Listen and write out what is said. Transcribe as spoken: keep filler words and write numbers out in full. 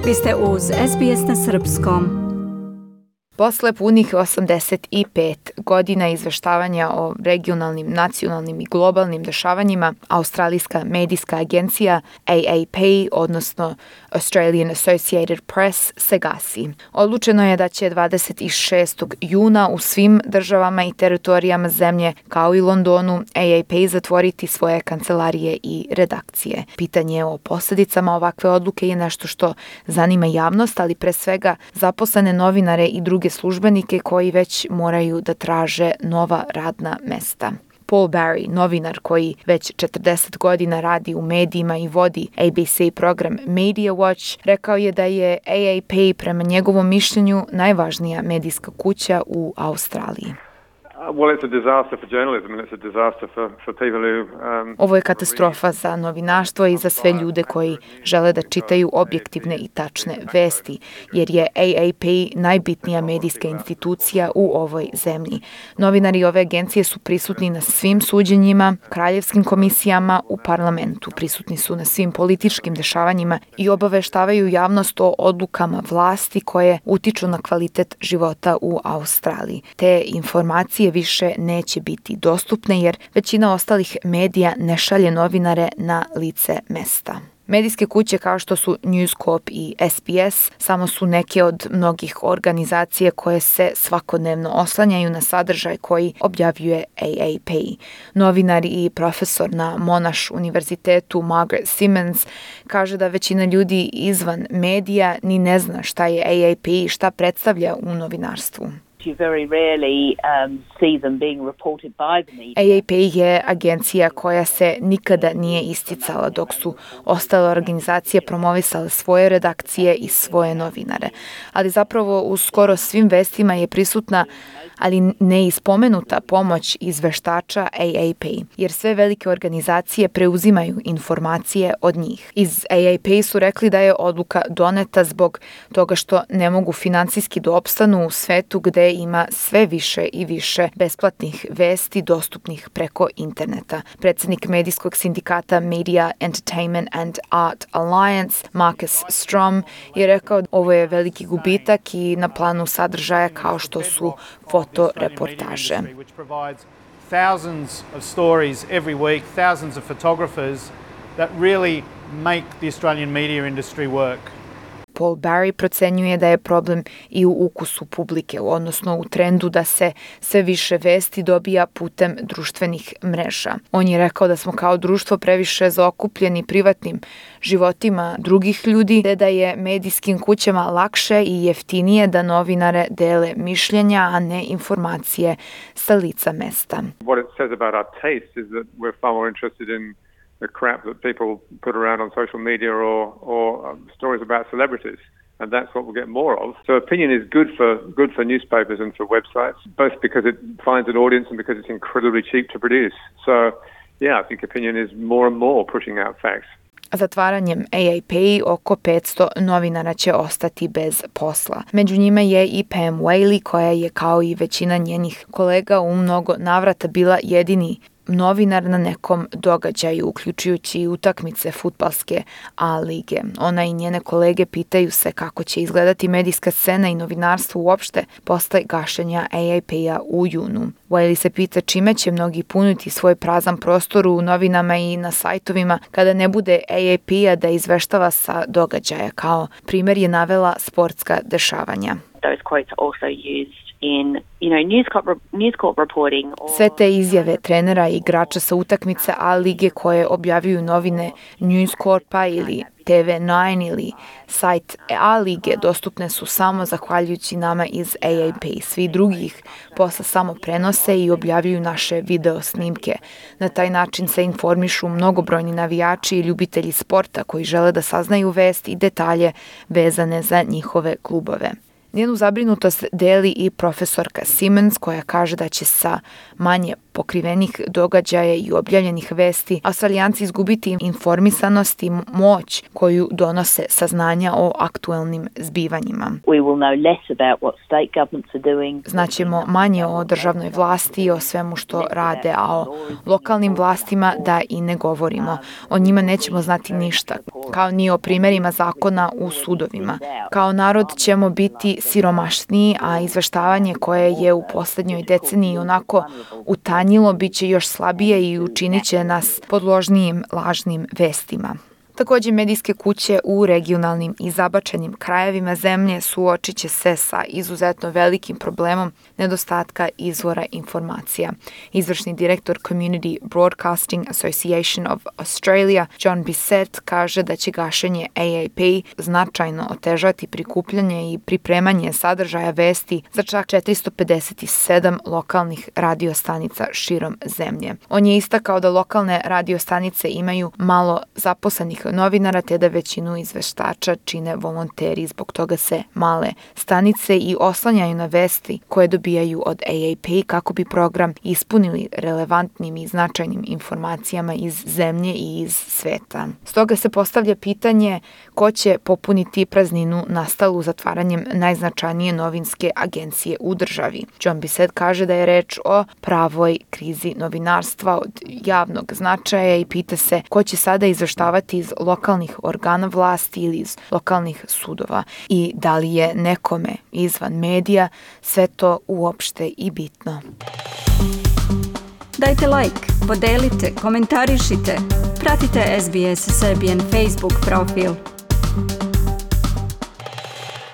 Vi ste uz S B S na srpskom. Posle punih osamdeset pet godina izveštavanja o regionalnim, nacionalnim i globalnim dešavanjima, australijska medijska agencija A A P, odnosno Australian Associated Press, se gasi. Odlučeno je da će dvadeset šestog juna u svim državama i teritorijama zemlje, kao i Londonu, A A P zatvoriti svoje kancelarije i redakcije. Pitanje o posljedicama ovakve odluke je nešto što zanima javnost, ali pre svega zaposlene novinare i druge službenike koji već moraju da traže nova radna mesta. Paul Barry, novinar koji već četrdeset godina radi u medijima i vodi A B C program Media Watch, rekao je da je A A P prema njegovom mišljenju najvažnija medijska kuća u Australiji. Ovo je katastrofa za novinarstvo i za sve ljude koji žele da čitaju objektivne i tačne vesti, jer je A A P najbitnija medijska institucija u ovoj zemlji. Novinari ove agencije su prisutni na svim suđenjima, kraljevskim komisijama, u parlamentu. Prisutni su na svim političkim dešavanjima i obaveštavaju javnost o odlukama vlasti koje utiču na kvalitet života u Australiji. Te informacije više neće biti dostupne jer većina ostalih medija ne šalje novinare na lice mesta. Medijske kuće kao što su News Corp i S B S samo su neke od mnogih organizacija koje se svakodnevno oslanjaju na sadržaj koji objavljuje A A P. Novinar i profesor na Monash univerzitetu Margaret Simmons kaže da većina ljudi izvan medija ni ne zna šta je A A P i šta predstavlja u novinarstvu. A A P je agencija koja se nikada nije isticala, dok su ostale organizacije promovisale svoje redakcije i svoje novinare. Ali zapravo u skoro svim vestima je prisutna, ali ne ispomenuta pomoć izveštača A A P, jer sve velike organizacije preuzimaju informacije od njih. Iz A A P su rekli da je odluka doneta zbog toga što ne mogu finansijski da opstanu u svetu gde ima sve više i više besplatnih vesti dostupnih preko interneta. Predsjednik medijskog sindikata Media, Entertainment and Art Alliance, Marcus Strom, je rekao da ovo je veliki gubitak i na planu sadržaja kao što su fotoreportaže. Thousands of stories every week, thousands of photographers that really make the Australian media industry work. Paul Barry procenjuje da je problem i u ukusu publike, odnosno u trendu da se sve više vesti dobija putem društvenih mreža. On je rekao da smo kao društvo previše zaokupljeni privatnim životima drugih ljudi, te da je medijskim kućama lakše i jeftinije da novinare dele mišljenja, a ne informacije sa lica mesta. What it says about our taste is that we're far more interested in the crap that people put around on social media or, or um, stories about celebrities. And that's what we'll get more of. So opinion is good for good for newspapers and for websites, both because it finds an audience and because it's incredibly cheap to produce. So, yeah, I think opinion is more and more pushing out facts. Zatvaranjem A A P oko petsto novinara će ostati bez posla. Među njima je i Pam Whaley, koja je kao i većina njenih kolega u mnogo navrata bila jedini novinar na nekom događaju, uključujući i utakmice fudbalske A lige. Ona i njene kolege pitaju se kako će izgledati medijska scena i novinarstvo uopšte posle gašenja A A P-a u junu. Wiley se pita čime će mnogi puniti svoj prazan prostor u novinama i na sajtovima kada ne bude A A P-a da izveštava sa događaja. Kao primjer je navela sportska dešavanja. Those quotes are also used in, you know, News Corp, News Corp reporting. Or... Sve te izjave trenera i igrača sa utakmice A lige koje objavljuju novine News Corpa ili T V devet ili sajt A lige dostupne su samo zahvaljujući nama iz A A P. Svi drugih posle samo prenose i objavljuju naše video snimke. Na taj način se informišu mnogobrojni navijači i ljubitelji sporta koji žele da saznaju vest i detalje vezane za njihove klubove. Njenu zabrinutost deli i profesorka Simmons, koja kaže da će sa manje pokrivenih događaja i objavljenih vesti, Australijanci izgubiti informisanost i moć koju donose saznanja o aktuelnim zbivanjima. We will know less about what state governments are doing. Znaćemo manje o državnoj vlasti i o svemu što rade, a o lokalnim vlastima da i ne govorimo. O njima nećemo znati ništa, kao ni o primjerima zakona u sudovima. Kao narod ćemo biti siromašniji, a izveštavanje koje je u posljednjoj deceniji onako utanjilo bit će još slabije i učinit će nas podložnijim lažnim vestima. Također, medijske kuće u regionalnim i zabačenim krajevima zemlje suočit će se sa izuzetno velikim problemom nedostatka izvora informacija. Izvršni direktor Community Broadcasting Association of Australia, John Bissett, kaže da će gašenje A A P značajno otežati prikupljanje i pripremanje sadržaja vesti za čak četiristo pedeset sedam lokalnih radiostanica širom zemlje. On je istakao da lokalne radiostanice imaju malo zaposlenih novinara, te da većinu izveštača čine volonteri. Zbog toga se male stanice i oslanjaju na vesti koje dobijaju od A A P kako bi program ispunili relevantnim i značajnim informacijama iz zemlje i iz sveta. Stoga se postavlja pitanje ko će popuniti prazninu nastalu zatvaranjem najznačajnije novinske agencije u državi. John Bissett kaže da je reč o pravoj krizi novinarstva od javnog značaja i pita se ko će sada izveštavati iz lokalnih organa vlasti ili iz lokalnih sudova i da li je nekome izvan medija sve to uopšte i bitno. Dajte like, podelite, komentarišite, pratite S B S Serbian Facebook profil.